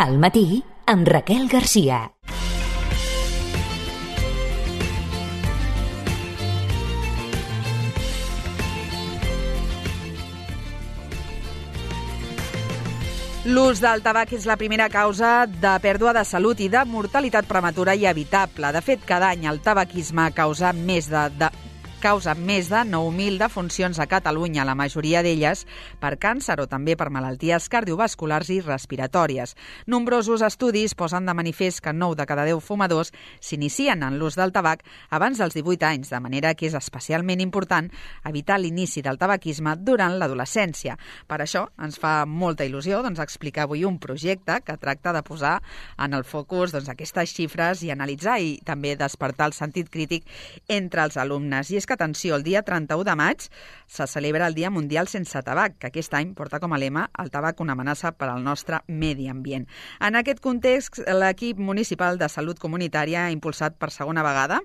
Al matí, amb Raquel Garcia. L'ús del tabac és la primera causa de pèrdua de salut i de mortalitat prematura i evitable. De fet, cada any el tabaquisme causa més de 9.000 defuncions a Catalunya, la majoria d'elles per càncer o també per malalties cardiovasculars i respiratòries. Nombrosos estudis posen de manifest que 9 de cada 10 fumadors s'inicien en l'ús del tabac abans dels 18 anys, de manera que és especialment important evitar l'inici del tabaquisme durant l'adolescència. Per això ens fa molta il·lusió explicar avui un projecte que tracta de posar en el focus aquestes xifres i analitzar i també despertar el sentit crític entre els alumnes. I és que, atenció, el dia 31 de maig se celebra el Dia Mundial Sense Tabac, que aquest any porta com a lema el tabac una amenaça per al nostre medi ambient. En aquest context, l'equip municipal de salut comunitària ha impulsat per segona vegada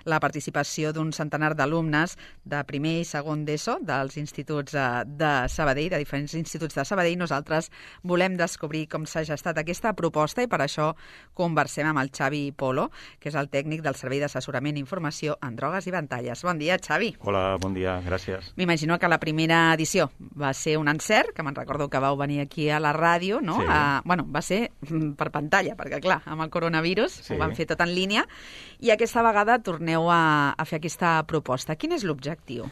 la participació d'un centenar d'alumnes de primer i segon d'ESO dels instituts de Sabadell, de diferents instituts de Sabadell. Nosaltres volem descobrir com s'ha gestat aquesta proposta i per això conversem amb el Xavi Polo, que és el tècnic del Servei d'Assessorament i Informació en Drogues i Pantalles. Bon dia, Xavi. Hola, bon dia, gràcies. M'imagino que la primera edició va ser un encert, que me'n recordo que vau venir aquí a la ràdio, no? Sí. Va ser per pantalla, perquè clar, amb el coronavirus sí. Ho van fer tot en línia, i aquesta vegada torneu a fer aquesta proposta. Quin és l'objectiu?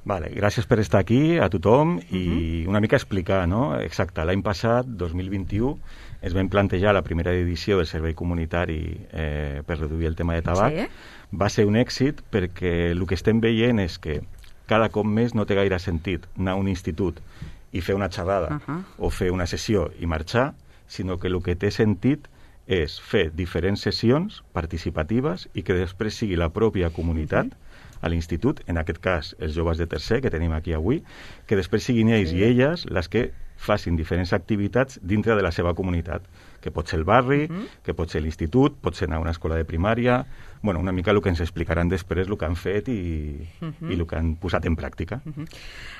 Vale, gràcies per estar aquí, a tothom, i una mica explicar, no? Exacte, l'any passat, 2021, es va plantejar la primera edició del servei comunitari per reduir el tema de tabac. Sí. Va ser un èxit perquè el que estem veient és que cada cop més no té gaire sentit anar a un institut i fer una xerrada o fer una sessió i marxar, sinó que el que té sentit és fer diferents sessions participatives i que després sigui la pròpia comunitat a l'institut, en aquest cas els joves de tercer que tenim aquí avui, que després siguin ells i elles les que facin diferents activitats dintre de la seva comunitat, que pot ser el barri, que pot ser l'institut, pot ser anar a una escola de primària, bueno, una mica el que ens explicaran després el que han fet i el que han posat en pràctica.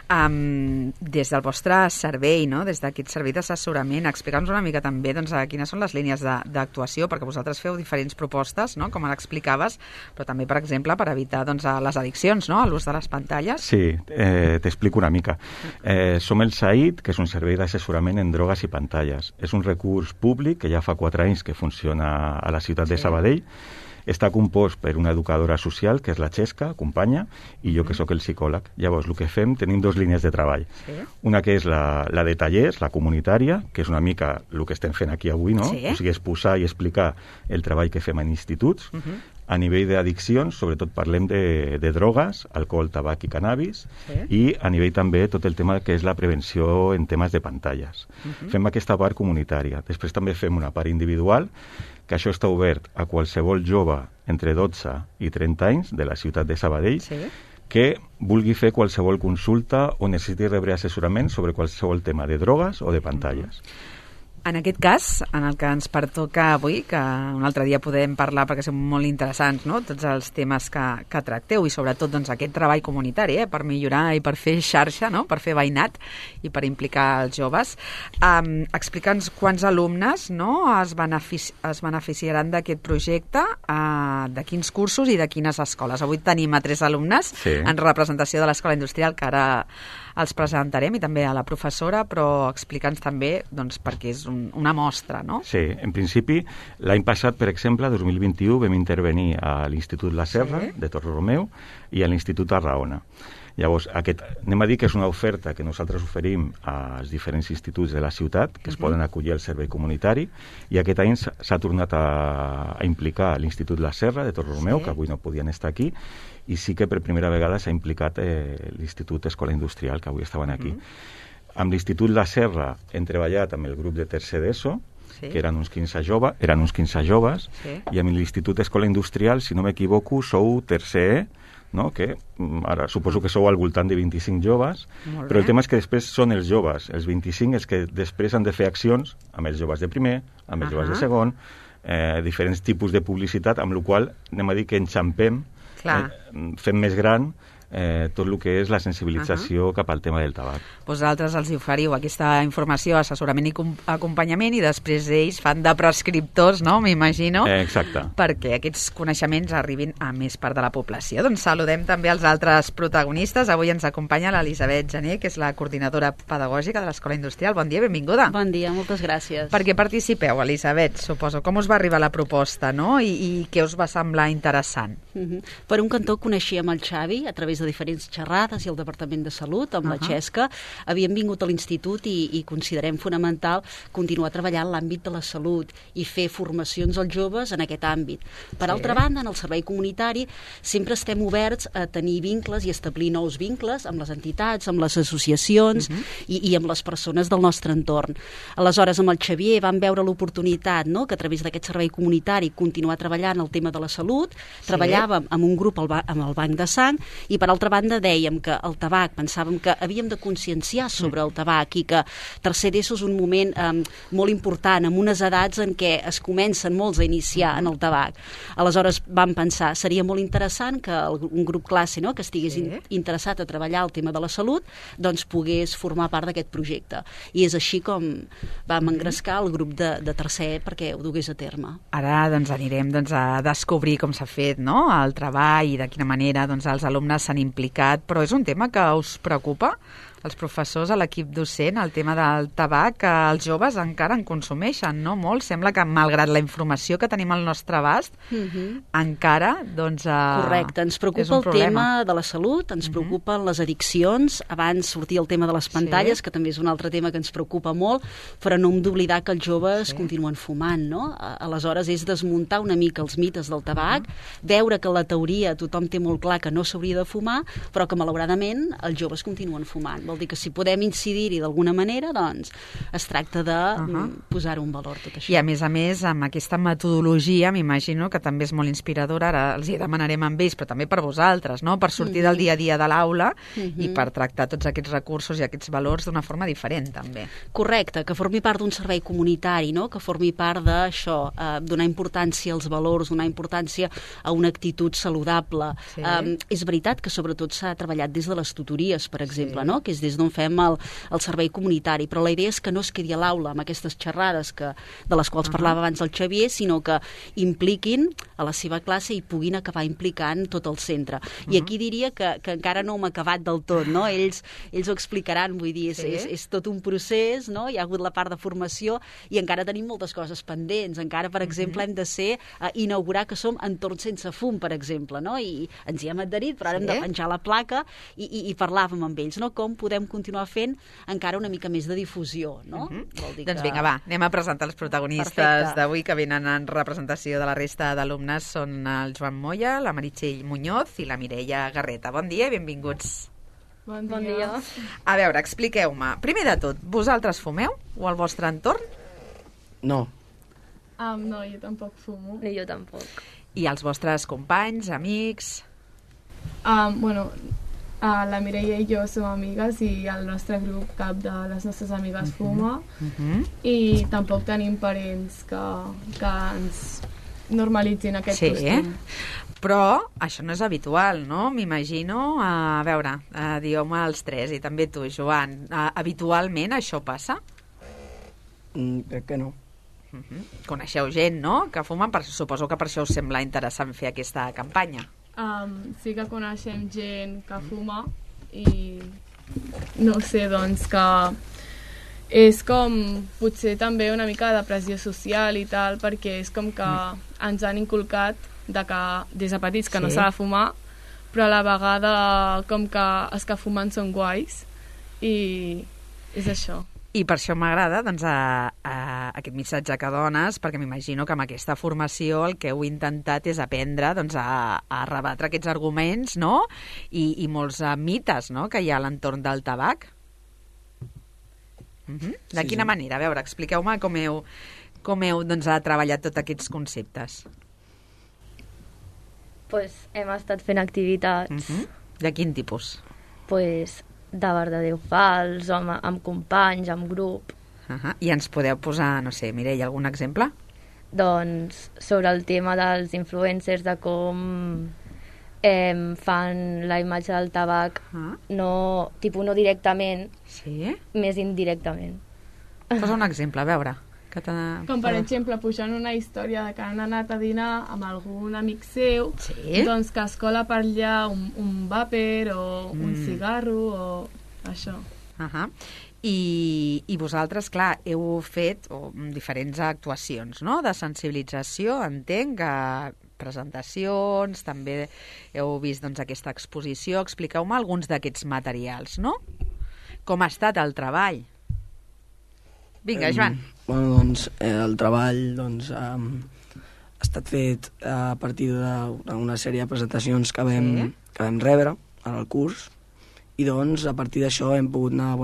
Des del vostre servei, no? Des d'aquest servei d'assessorament, explica'ns una mica també quines són les línies d'actuació, perquè vosaltres feu diferents propostes, no? Com ara explicaves, però també, per exemple, per evitar les addiccions, no? A l'ús de les pantalles. Sí, t'explico una mica. Som el SAID, que és un servei d'assessorament en drogues i pantalles. És un recurs públic que ja fa 4 anys que funciona a la ciutat de Sabadell. Està compost per una educadora social, que és la Xesca, companya, i jo, que sóc el psicòleg. Llavors, el que fem, tenim 2 línies de treball. Sí. Una que és la de tallers, la comunitària, que és una mica el que estem fent aquí avui, no? Sí. O sigui, exposar i explicar el treball que fem en instituts. A nivell d'addiccions, sobretot parlem de drogues, alcohol, tabac i cannabis, i a nivell també tot el tema que és la prevenció en temes de pantalles. Fem aquesta part comunitària. Després també fem una part individual, que això està obert a qualsevol jove entre 12 i 30 anys de la ciutat de Sabadell que vulgui fer qualsevol consulta o necessiti rebre assessorament sobre qualsevol tema de drogues o de pantalles. En aquest cas, en el que ens pertoca avui, que un altre dia podem parlar perquè són molt interessants, no? Tots els temes que tracteu i sobretot aquest treball comunitari per millorar i per fer xarxa, no? Per fer veïnat i per implicar els joves. Explica'ns quants alumnes, no? es beneficiaran d'aquest projecte, de quins cursos i de quines escoles. Avui tenim a 3 alumnes en representació de l'Escola Industrial, que ara els presentarem, i també a la professora, però explica'ns també perquè és una mostra, no? Sí, en principi, l'any passat, per exemple, 2021, vam intervenir a l'Institut La Serra, de Torrelameu, i a l'Institut Arraona. Llavors, anem a dir que és una oferta que nosaltres oferim als diferents instituts de la ciutat, que es poden acollir al servei comunitari, i aquest any s'ha tornat a implicar l'Institut La Serra de Torrelameu, que avui no podien estar aquí, i sí que per primera vegada s'ha implicat l'Institut Escola Industrial, que avui estaven aquí. Amb l'Institut La Serra hem treballat amb el grup de tercer d'ESO, que eren uns 15 joves, i amb l'Institut Escola Industrial, si no m'equivoco, sou tercer E, no? Que ara suposo que sou al voltant de 25 joves, però el tema és que després són els joves, els 25, els que després han de fer accions amb els joves de primer, amb els joves de segon, diferents tipus de publicitat, amb la qual anem a dir que enxampem, fem més gran tot el que és la sensibilització cap al tema del tabac. Vosaltres els oferiu aquesta informació, assessorament i acompanyament, i després ells fan de prescriptors, no?, m'imagino, Exacte. perquè aquests coneixements arribin a més part de la població. Doncs saludem també els altres protagonistes. Avui ens acompanya l'Elisabet Gené, que és la coordinadora pedagògica de l'Escola Industrial. Bon dia, benvinguda. Bon dia, moltes gràcies. Per què participeu, Elisabet, suposo? Com us va arribar la proposta, no?, i què us va semblar interessant? Per un cantó coneixíem el Xavi a través de diferents xerrades i el Departament de Salut, amb la Xesca. Havíem vingut a l'institut i considerem fonamental continuar treballant en l'àmbit de la salut i fer formacions als joves en aquest àmbit. Per altra banda, en el servei comunitari sempre estem oberts a tenir vincles i establir nous vincles amb les entitats, amb les associacions i amb les persones del nostre entorn. Aleshores, amb el Xavier vam veure l'oportunitat, no?, que a través d'aquest servei comunitari continuar treballant el tema de la salut. Treballàvem amb un grup amb el Banc de Sang i, per altra banda, dèiem que el tabac, pensàvem que havíem de conscienciar sobre el tabac i que tercer d'ESO és un moment molt important, amb unes edats en què es comencen molts a iniciar en el tabac. Aleshores vam pensar, seria molt interessant que un grup classe, no?, que estigués interessat a treballar el tema de la salut, doncs pogués formar part d'aquest projecte. I és així com vam engrescar el grup de tercer perquè ho dugués a terme. Ara doncs anirem a descobrir com s'ha fet, no?, el treball i de quina manera doncs, els alumnes s'han implicat, però és un tema que us preocupa? Els professors, a l'equip docent, el tema del tabac, que els joves encara en consumeixen, no? Molt. Sembla que, malgrat la informació que tenim al nostre abast, encara, doncs, correcte, ens preocupa el tema de la salut, ens preocupen les addiccions. Abans sortia el tema de les pantalles, que també és un altre tema que ens preocupa molt, però no hem d'oblidar que els joves continuen fumant, no? Aleshores, és desmuntar una mica els mites del tabac, veure que la teoria tothom té molt clar que no s'hauria de fumar, però que, malauradament, els joves continuen fumant. Vol dir que si podem incidir-hi d'alguna manera, doncs es tracta de posar un valor tot això. I a més, amb aquesta metodologia, m'imagino que també és molt inspiradora, ara els hi demanarem amb ells, però també per vosaltres, no?, per sortir del dia a dia de l'aula i per tractar tots aquests recursos i aquests valors d'una forma diferent, també. Correcte, que formi part d'un servei comunitari, no?, que formi part d'això, donar importància als valors, donar importància a una actitud saludable. És veritat que sobretot s'ha treballat des de les tutories, per exemple, no?, que és des d'on fem el servei comunitari, però la idea és que no es quedi a l'aula amb aquestes xerrades de les quals parlava abans el Xavier, sinó que impliquin a la seva classe i puguin acabar implicant tot el centre. I aquí diria que encara no hem acabat del tot, no? Ells ho explicaran, vull dir, és tot un procés, no? Hi ha hagut la part de formació i encara tenim moltes coses pendents. Encara, per exemple, hem de inaugurar que som entorns sense fum, per exemple, no? I ens hi hem adherit, però ara hem de penjar la placa i parlàvem amb ells, no? Com podem continuar fent encara una mica més de difusió, no? Vol dir Doncs vinga, va, anem a presentar els protagonistes d'avui que venen en representació de la resta d'alumnes. Són el Joan Moya, la Meritxell Muñoz i la Mireia Garreta. Bon dia i benvinguts. Bon dia. A veure, expliqueu-me. Primer de tot, vosaltres fumeu o al vostre entorn? No. No, jo tampoc fumo. Ni jo tampoc. I els vostres companys, amics? La Mireia i jo som amigues i el nostre grup, cap de les nostres amigues fuma i tampoc tenim parents que ens normalitzin aquest costum. Però això no és habitual, no? M'imagino. A veure, dieu-me els tres, i també tu, Joan. Habitualment això passa? Crec que no. Coneixeu gent, no?, que fumen, suposo que per això us sembla interessant fer aquesta campanya. Sí que coneixem gent que fuma i no sé, doncs que és com potser també una mica de pressió social i tal, perquè és com que ens han inculcat de que des de petits que no s'ha de fumar, però a la vegada com que els que fumen són guais i és això. I per això m'agrada doncs, aquest missatge que dones, perquè m'imagino que amb aquesta formació el que heu intentat és aprendre doncs, a rebatre aquests arguments, no?, i molts mites, no?, que hi ha a l'entorn del tabac. De quina manera? A veure, expliqueu-me com heu doncs, treballat tots aquests conceptes. Pues hem estat fent activitats. De quin tipus? Pues de verdadeu fals, amb companys, amb grup. I ens podeu posar, no sé, Mireia, algun exemple? Doncs sobre el tema dels influencers, de com fan la imatge del tabac no directament, més indirectament. Posa un exemple, a veure. Com per exemple, pujant una història de que han anat a dinar amb algun amic seu, doncs que es cola per allà un vàper o un cigarro o això. I vosaltres, clar, heu fet diferents actuacions, no?, de sensibilització, entenc, presentacions, també heu vist aquesta exposició. Expliqueu-me alguns d'aquests materials, no? Com ha estat el treball? Vinga, Joan. Bueno, doncs, el treball ha estat fet a partir d'una sèrie de presentacions que vam rebre en el curs, i doncs a partir d'això hem pogut anar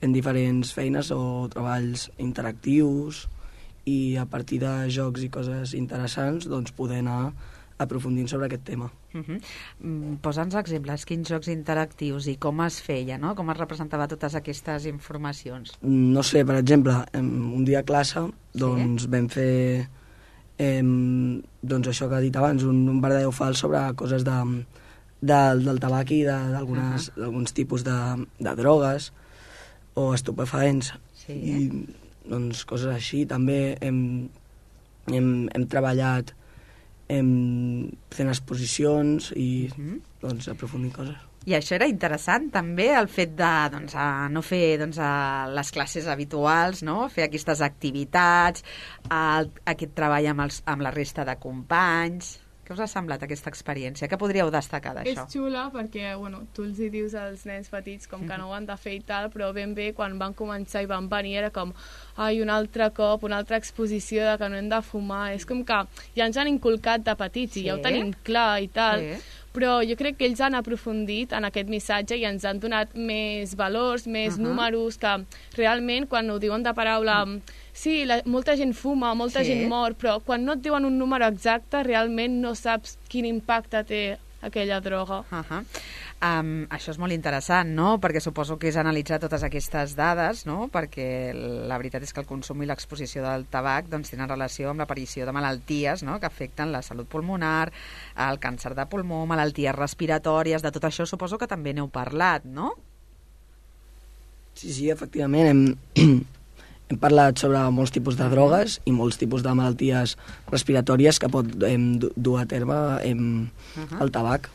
fent diferents feines o treballs interactius, i a partir de jocs i coses interessants poder anar aprofundint sobre aquest tema. Posa'ns exemples, quins jocs interactius i com es feia, no? Com es representava totes aquestes informacions? No sé, per exemple, un dia a classe vam fer això que he dit abans, un verdadeu fals sobre coses del tabac i d'alguns tipus de drogues o estupefaents. I coses així. També hem treballat fent exposicions i aprofundint coses. I això era interessant, també, el fet de no fer les classes habituals, no? Fer aquestes activitats, aquest treball amb la resta de companys. Què us ha semblat aquesta experiència? Què podríeu destacar d'això? És xula perquè, tu els hi dius als nens petits com que no ho han de fer i tal, però ben bé quan van començar i van venir era com un altre cop, una altra exposició de que no hem de fumar. És com que ja ens han inculcat de petits i ja ho tenim clar i tal, però jo crec que ells han aprofundit en aquest missatge i ens han donat més valors, més números, que realment quan ho diuen de paraula... Sí, molta gent fuma, molta gent mor, però quan no et diuen un número exacte, realment no saps quin impacte té aquella droga. Això és molt interessant, no? Perquè suposo que és analitzar totes aquestes dades, no? Perquè la veritat és que el consum i l'exposició del tabac tenen relació amb l'aparició de malalties, no?, que afecten la salut pulmonar, el càncer de pulmó, malalties respiratòries. De tot això suposo que també n'heu parlat, no? Sí, efectivament. Hem parlat sobre molts tipus de drogues i molts tipus de malalties respiratòries que pot dur a terme el tabac.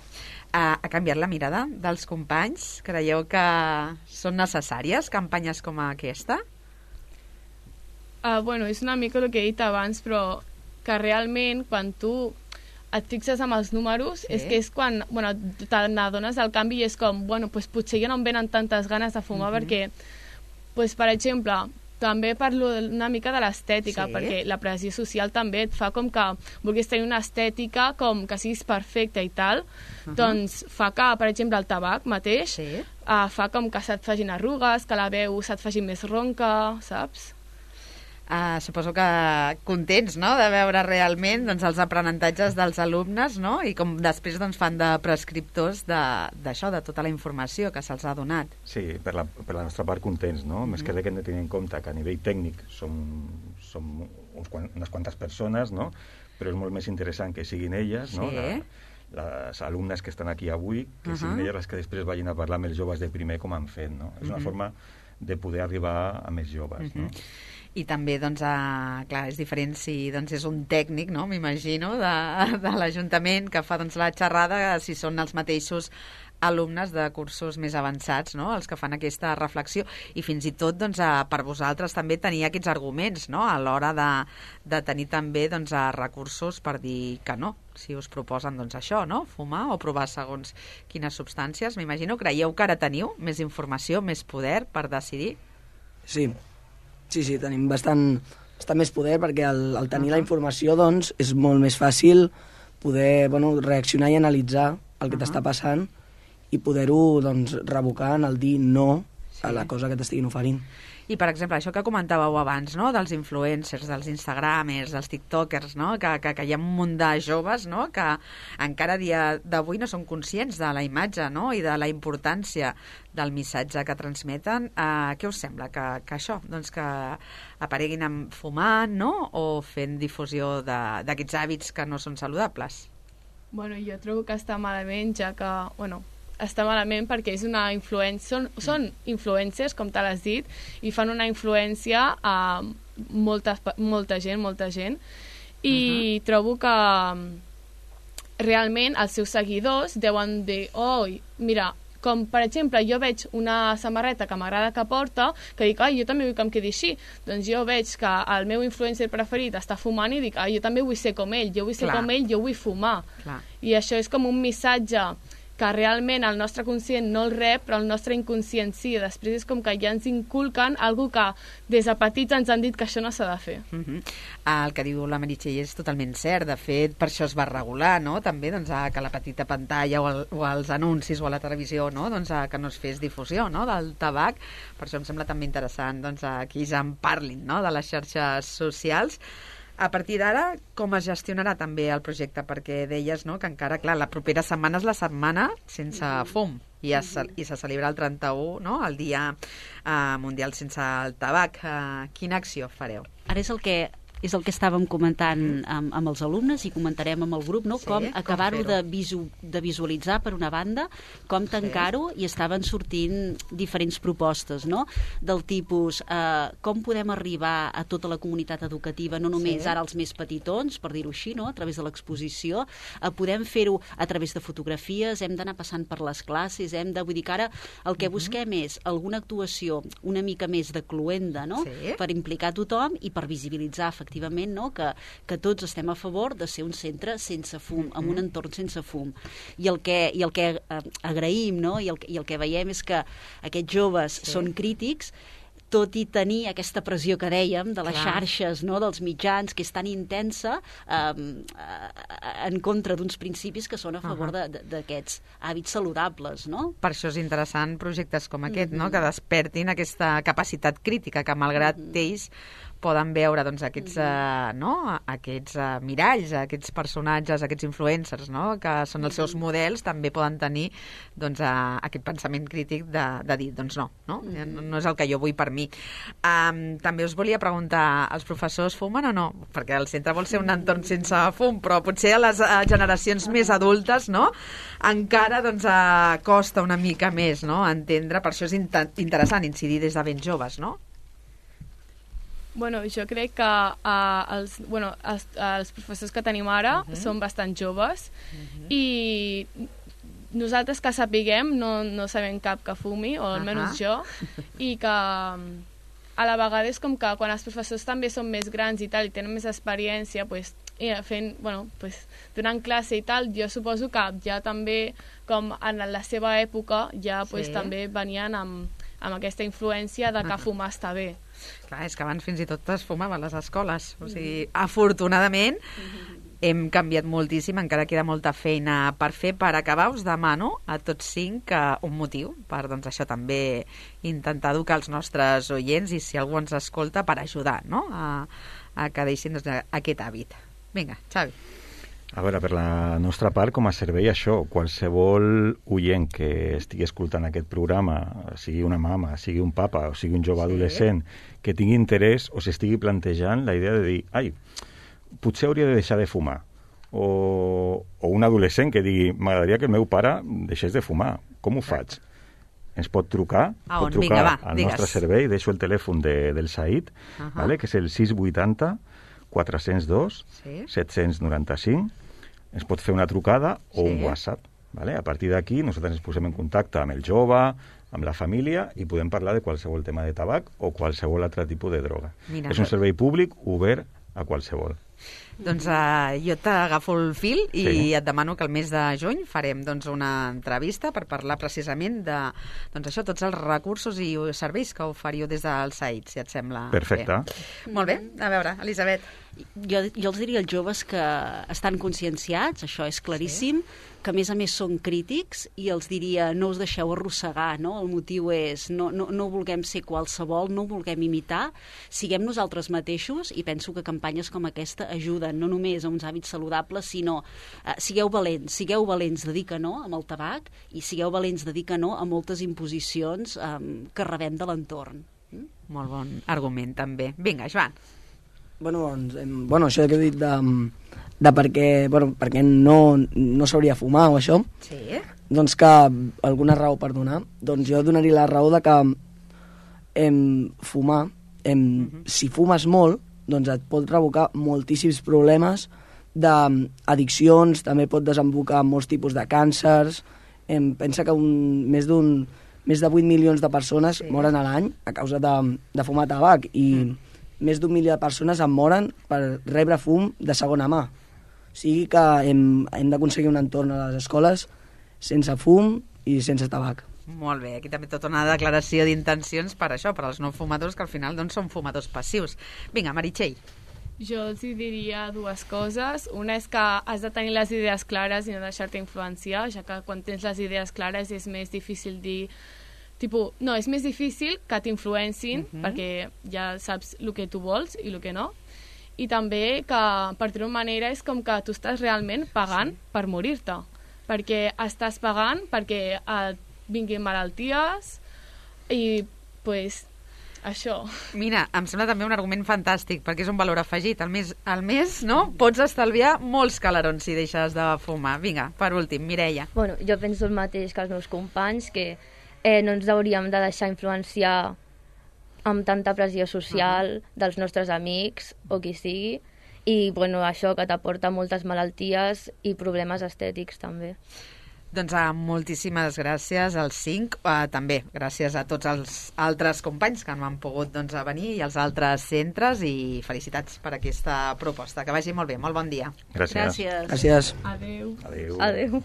Ha canviat la mirada dels companys? Creieu que són necessàries campanyes com aquesta? És una mica el que he dit abans, però que realment quan tu et fixes amb els números és que és quan t'adones del canvi i és com, potser ja no em venen tantes ganes de fumar perquè, per exemple... També parlo una mica de l'estètica, perquè la pressió social també et fa com que vulguis tenir una estètica com que siguis perfecta i tal, doncs fa que, per exemple, el tabac mateix fa com que se't facin arrugues, que la veu se't faci més ronca, saps? Suposo que contents, no?, de veure realment els aprenentatges dels alumnes, no?, i com després fan de prescriptors d'això, de tota la informació que se'ls ha donat. Sí, per la nostra part contents, no? Més que res que hem de tenir en compte que a nivell tècnic som unes quantes persones, no?, però és molt més interessant que siguin elles, no?, les alumnes que estan aquí avui, que siguin elles les que després vagin a parlar amb els joves de primer com han fet, no? És una forma de poder arribar a més joves, no? I també, clar, és diferent si és un tècnic, no?, m'imagino, de l'Ajuntament que fa la xerrada, si són els mateixos alumnes de cursos més avançats, no?, els que fan aquesta reflexió, i fins i tot per vosaltres també tenir aquests arguments, no?, a l'hora de tenir també recursos per dir que no, si us proposen això, no?, fumar o provar segons quines substàncies. M'imagino, creieu que ara teniu més informació, més poder per decidir? Sí, tenim bastant més poder perquè al tenir la informació és molt més fàcil poder reaccionar i analitzar el que t'està passant i poder-ho revocar en el dir no a la cosa que t'estiguin oferint. I, per exemple, això que comentàveu abans, no?, dels influencers, dels instagramers, dels tiktokers, no?, que hi ha un munt de joves, no?, que encara a dia d'avui no són conscients de la imatge, no?, i de la importància del missatge que transmeten. Què us sembla? Que això, que apareguin fumant, no?, o fent difusió d'aquests hàbits que no són saludables? Bueno, jo trobo que està malament, ja que, està malament perquè és una influència, són influencers, com te l'has dit, i fan una influència a molta gent, i trobo que realment els seus seguidors deuen dir, mira, com per exemple jo veig una samarreta que m'agrada que porta, que dic, jo també vull que em quedi així, doncs jo veig que el meu influencer preferit està fumant i dic, jo també vull ser com ell, jo vull fumar. I això és com un missatge que realment el nostre conscient no el rep, però el nostre inconscient sí. Després és com que ja ens inculquen algo que des de petits ens han dit que això no s'ha de fer. El que diu la Meritxell és totalment cert. De fet, per això es va regular, no? També que la petita pantalla o els anuncis o a la televisió, no? Que no es fes difusió, no? Del tabac. Per això em sembla també interessant que ells en parlin, no? De les xarxes socials. A partir d'ara, com es gestionarà també el projecte? Perquè deies, no?, que encara, clar, la propera setmana és la setmana sense fum i se celebra el 31, no?, el Dia Mundial sense el tabac. Quina acció fareu? Ara és el que estàvem comentant amb els alumnes i comentarem amb el grup, no? Com acabar-ho de visualitzar, per una banda, com tancar-ho, i estaven sortint diferents propostes, no? Del tipus, com podem arribar a tota la comunitat educativa, no només ara els més petitons, per dir-ho així, no? A través de l'exposició, podem fer-ho a través de fotografies, hem d'anar passant per les classes, vull dir que ara el que busquem és alguna actuació una mica més de cluenda, no? Per implicar tothom i per visibilitzar efectivament, no? Que tots estem a favor de ser un centre sense fum, amb un entorn sense fum. I el que agraïm, no? I el que veiem és que aquests joves són crítics, tot i tenir aquesta pressió que dèiem de les xarxes, no? Dels mitjans, que és tan intensa, en contra d'uns principis que són a favor d'aquests hàbits saludables, no? Per això és interessant projectes com aquest, no? Que despertin aquesta capacitat crítica, que malgrat ells poden veure aquests miralls, aquests personatges, aquests influencers, no? Que són els seus models, també poden tenir aquest pensament crític de dir, no és el que jo vull per mi. També us volia preguntar, els professors fumen o no? Perquè el centre vol ser un entorn sense fum, però potser a les generacions més adultes, no?, encara costa una mica més, no?, entendre. Per això és interessant incidir des de ben joves, no? Bueno, jo crec que els professors que tenim ara són bastant joves i nosaltres que sapiguem no sabem cap que fumi, o almenys jo, i que a la vegada és com que quan els professors també són més grans i tal i tenen més experiència donant classe i tal, jo suposo que ja també, com en la seva època, ja també venien amb aquesta influència de que fumar està bé. Clar, és que abans fins i tot es fumava a les escoles. O sigui, afortunadament hem canviat moltíssim, encara queda molta feina per fer. Per acabar, us demano a tots 5 un motiu per això també intentar educar els nostres oients i, si algú ens escolta, per ajudar, no?, a que deixin aquest hàbit. Vinga, Xavi. A veure, per la nostra part, com a servei, això, qualsevol oient que estigui escoltant aquest programa, sigui una mama, sigui un papa o sigui un jove adolescent, que tingui interès o s'estigui plantejant la idea de dir, potser hauria de deixar de fumar, o un adolescent que digui, m'agradaria que el meu pare deixés de fumar, com ho faig? Ens pot trucar, al nostre servei, deixo el telèfon del Said, que és el 680 402 795, ens pot fer una trucada o un WhatsApp. A partir d'aquí nosaltres ens posem en contacte amb el jove, amb la família, i podem parlar de qualsevol tema de tabac o qualsevol altre tipus de droga. És un servei públic obert a qualsevol. Doncs jo t'agafo el fil i et demano que el mes de juny farem una entrevista per parlar precisament de tots els recursos i serveis que oferiu des del SAID, si et sembla. Perfecte. Molt bé. A veure, Elisabet. Jo els diria als joves que estan conscienciats, això és claríssim, que a més són crítics, i els diria, no us deixeu arrossegar, no? El motiu és, no vulguem ser qualsevol, no vulguem imitar, siguem nosaltres mateixos, i penso que campanyes com aquesta ajuden no només a uns hàbits saludables, sinó sigueu valents de dir que no amb el tabac, i sigueu valents de dir que no a moltes imposicions que rebem de l'entorn. Molt bon argument, també. Vinga, Joan. Això que he dit de per què no s'hauria de fumar o això, Sí. doncs que alguna raó per donar, doncs jo donaria la raó de que fumar, si fumes molt, doncs et pot provocar moltíssims problemes d'addiccions, també pot desembocar en molts tipus de càncers. Pensa que més de 8 milions de persones moren a l'any a causa de fumar tabac i més d'1 milió de persones en moren per rebre fum de segona mà. O sigui que hem d'aconseguir un entorn a les escoles sense fum i sense tabac. Molt bé, aquí també tota una declaració d'intencions per això, per als no fumadors, que al final doncs, són fumadors passius. Vinga, Meritxell. Jo els diria dues coses. Una és que has de tenir les idees clares i no deixar-te influenciar, ja que quan tens les idees clares és més difícil dir... és més difícil que t'influencin, perquè ja saps el que tu vols i el que no. I també que, per dir-ho manera, és com que tu estàs realment pagant per morir-te, perquè estàs pagant perquè et vinguin malalties i, pues, això. Mira, em sembla també un argument fantàstic, perquè és un valor afegit. Al mes, no? Pots estalviar molts calarons si deixes de fumar. Vinga, per últim, Mireia. Bueno, jo penso el mateix que els meus companys, que no ens hauríem de deixar influenciar amb tanta pressió social dels nostres amics o qui sigui, i bueno, això que t'aporta moltes malalties i problemes estètics també. Doncs moltíssimes gràcies als 5, també gràcies a tots els altres companys que no han pogut venir i als altres centres, i felicitats per aquesta proposta. Que vagi molt bé, molt bon dia. Gràcies. Gràcies. Adéu. Adéu. Adéu.